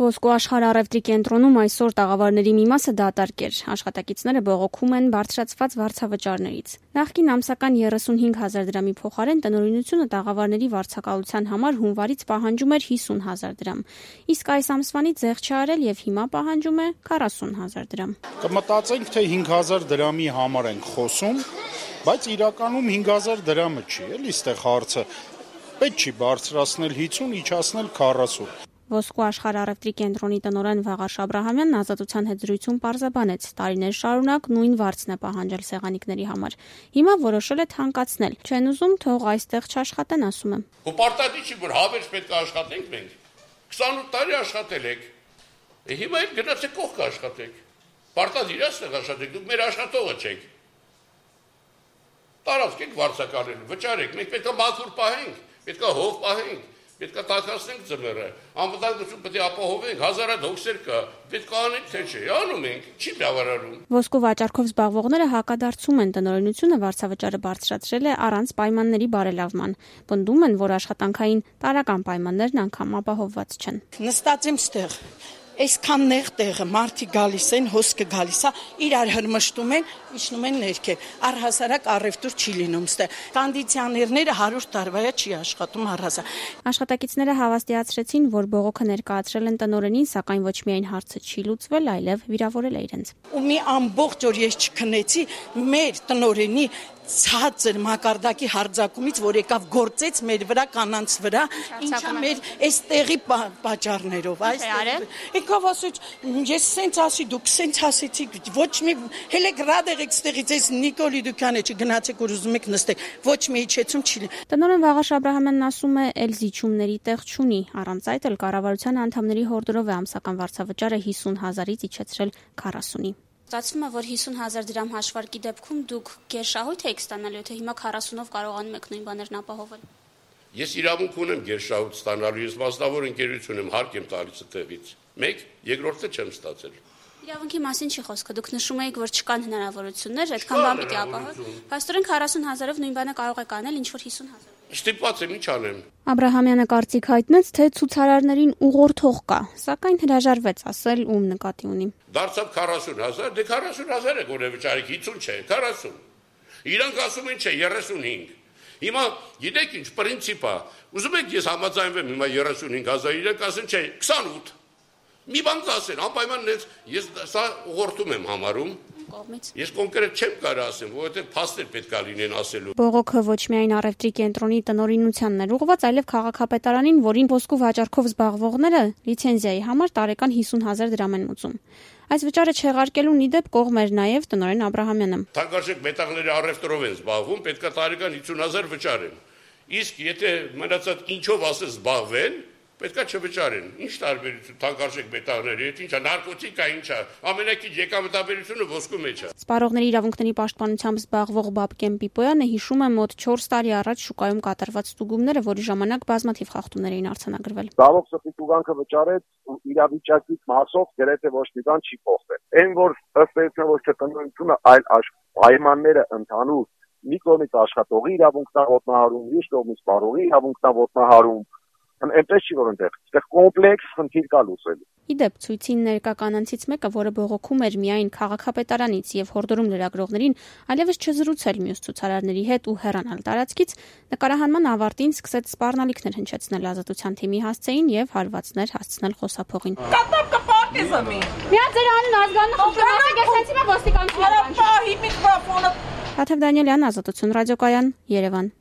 Ոսկու աշխարհ առևտրի կենտրոնում այսօր տաղավարների մի մասը դատարկ էր։ Աշխատակիցները բողոքում են բարձրացված վարձավճարներից։ Նախկին ամսական 35,000 դրամի փոխարեն տնօրինությունը տաղավարների վարձակալության համար հունվարից պահանջում էր 50,000 դրամ։ Իսկ այս ամսվանից զեղչ չի արել եւ հիմա պահանջում է 40,000 դրամ։ Կմտածենք, թե 5,000 դրամի համար ենք խոսում, բայց իրականում 5,000 դրամը չի, էլի այստեղ հարցը։ Պետք չի բարձրացնել 50, իջացնել 40։ Ոսկու աշխարհ առևտրի կենտրոնի տնօրեն Վաղարշ Աբրահամյանն Ազատության հետ զրույցում պարզաբանեց, տարիներ շարունակ նույն վարձն է պահանջել սեղանիկների համար։ Հիմա որոշել է թանկացնել։ Չեն ուզում, թող այստեղ չաշխատեն, ասում է։ Ու պարտադիր չի, որ հավերժ պետք է աշխատենք մենք։ 28 տարի աշխատել եք։ Հիմա էլ գնացեք կողք աշխատեք։ Պարտադիր է այստեղ աշխատեք, դուք մեր աշխատողը չեք։ Տարածք եք վարձակալել, վճարեք, մենք պետք է մաքուր պահենք, պետք է հով պահենք։ Պետք է տաքացնենք ձմեռը, անվտանգություն պետք է ապահովենք, հազարատ հոգսեր կա, պետք է անենք, թե չէ, անում ենք, չի բավարարում։ Ոսկու վաճառքով զբաղվողները հակադարձում են, տնօրինությունը վարձավճարը բարձրացրել է առանց պայմանների բարելավման։ Պնդում են, որ աշխատանքային տարրական պայմաններն անգամ ապահովված չեն։ Նստած եմ ստեղ։ Այսքան նեղ տեղը մարդիկ գալիս են, հոսքը գալիս է, իրար հրմշտում են, իջնում են ներքև։ Առհասարակ առևտուր չի լինում ստեղ։ Կոնդիցիոներները 100 տարվա է չի աշխատում առհասարակ։ Աշխատակիցները հավաստիացրեցին, որ բողոքը ներկայացրել են տնօրենին, սակայն ոչ միայն հարցը չի լուծվել, այլև վիրավորել է իրենց։ Ու մի ամբողջ օր ես չքնեցի մեր տնօրենի ցածր մակարդակի հարձակումից, որ եկավ գործեց մեր վրա կանանց վրա, ինչա մեր այս տեղի պատճառներով, այս եկավ ասեց, ես սենց ասի, դուք սենց ասեցիք, ոչ մի հելեք ռադ եղեք ստեղից, այս Նիկոլի դուքանը չգնացեք, որ ուզում եք նստեք, ոչ մի իջեցում չի։ Տնօրեն Վաղարշ Աբրահամյանն ասում է, էլ զիջումների տեղ չունի, առանց այդ էլ կառավարության անդամների հորդորով է ամսական վարձավճարը 50,000-ից իջեցրել 40-ի։ Ստացվում է, որ 50,000 դրամ հաշվարկի դեպքում դուք գերշահույթ եք ստանալու, թե հիմա 40-ով կարողանում եք նույն բաներն ապահովել։ Ես իրավունք ունեմ գերշահույթ ստանալու, ես մասնավոր ընկերություն եմ, հարկ եմ տալիս այդտեղից։ Մեկ, երկրորդը չեմ ստացել։ Իրավունքի մասին չի խոսքը, դուք նշում եք, որ չկան հնարավորություններ, այդքան բան պիտի ապահով։ Փաստորեն 40,000-ով նույն բանը կարող եք անել, ինչ որ 50,000։ Ստիպված եմ, ինչ անեմ։ Աբրահամյանը կարծիք հայտնեց, թե ցուցարարներին ուղղորդող կա, սակայն հրաժարվեց ասել ում նկատի ունի։ Դարձավ 40,000, դե 40,000 է գոնե վճարեք, 50 չէ, 40։ Իրանք ասում են չէ, 35։ Հիմա գիտեք ինչ պրինցիպ է։ Ուզում եք ես համաձայնվեմ հիմա 35,000, իրանք ասեն չէ, 28։ Մի բան կասեն, անպայման ես սա ուղղորդում եմ համարում։ Ես կոնկրետ չեմ կարող ասեմ, որովհետև փաստեր պետք է լինեն ասելու։ Բողոքը ոչ միայն առևտրի կենտրոնի տնօրինությանն էր ուղղված, այլև քաղաքապետարանին, որին ոսկու վաճառքով զբաղվողները լիցենզիայի համար տարեկան 50,000 դրամ են ուծում։ Այս վճարը չեղարկելու ի դեպ կողմ էր նաև տնօրեն Աբրահամյանը։ Թանկարժեք մետաղների առևտրով են զբաղվում, պետք է տարեկան 50,000 վճարեն։ Իսկ եթե մնացած ինչով ասես զբաղվեն, պետք է չվճարեն։ Ինչ տարբերություն թանկարժեք մետաղների հետ, ինչա նարկոտիկա, ինչա, ամենակի եկամտաբերությունը ոսկու մեջ է։ Սպառողների իրավունքների պաշտպանությամբ զբաղվող Բաբկեն Պիպոյանը հիշում է մոտ 4 տարի առաջ շուկայում կատարված ստուգումները, որի ժամանակ բազմաթիվ խախտումներ էին արձանագրվել։ Զբաղվող սպի տուգանքը վճարեց ու իրավիճակից մասով գրեթե ոչ մի բան չի փոխվել։ Այն որ ըստ էության ոչ թե տնօրինությունը, այլ պայմանները ընդհանուր մի կողմից աշխատողի իրավունքն ոտնահարում, մյուս կողմից սպառողի իրավունքն ոտնահարում, այնպես չի որ այնտեղ կոմպլեքս խնդիր կա լուծելու։ Իդեպ ցույցին ներկա կանանցից մեկը, որը բողոքում էր միայն քաղաքապետարանից եւ հորդորում լրագրողներին այլևս չզրուցել մյուս ցուցարարների հետ ու հեռանալ տարածքից, նկարահանման ավարտին սկսեց սպառնալիքներ հնչեցնել Ազատության թիմի հասցեին եւ հարվածներ հասցնել խոսափողին։ Միա ձեր անուն ազգանունը խնդրում եք ասեցի ոստիկանություն։ Թաթև Դանիելյան, Ազատություն ռադիոկայան, Երևան։